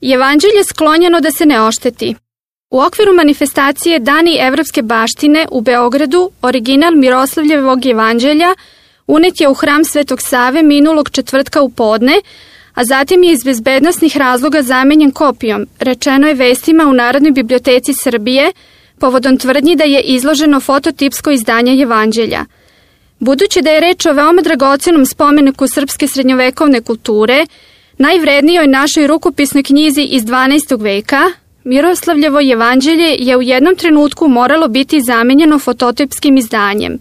Jevanđelje sklonjeno da se ne ošteti. U okviru manifestacije Dani evropske baštine u Beogradu original Miroslavljevog jevanđelja unet je u hram Svetog Save minulog četvrtka u podne, a zatim je iz bezbednosnih razloga zamenjen kopijom, rečeno je vestima u Narodnoj biblioteci Srbije, povodom tvrdnji da je izloženo fototipsko izdanje jevanđelja. Budući da je reč o veoma dragocenom spomeniku srpske srednjovekovne kulture, najvrednijoj našoj rukopisnoj knjizi iz 12. veka, Miroslavljevo jevanđelje je u jednom trenutku moralo biti zamenjeno fototipskim izdanjem.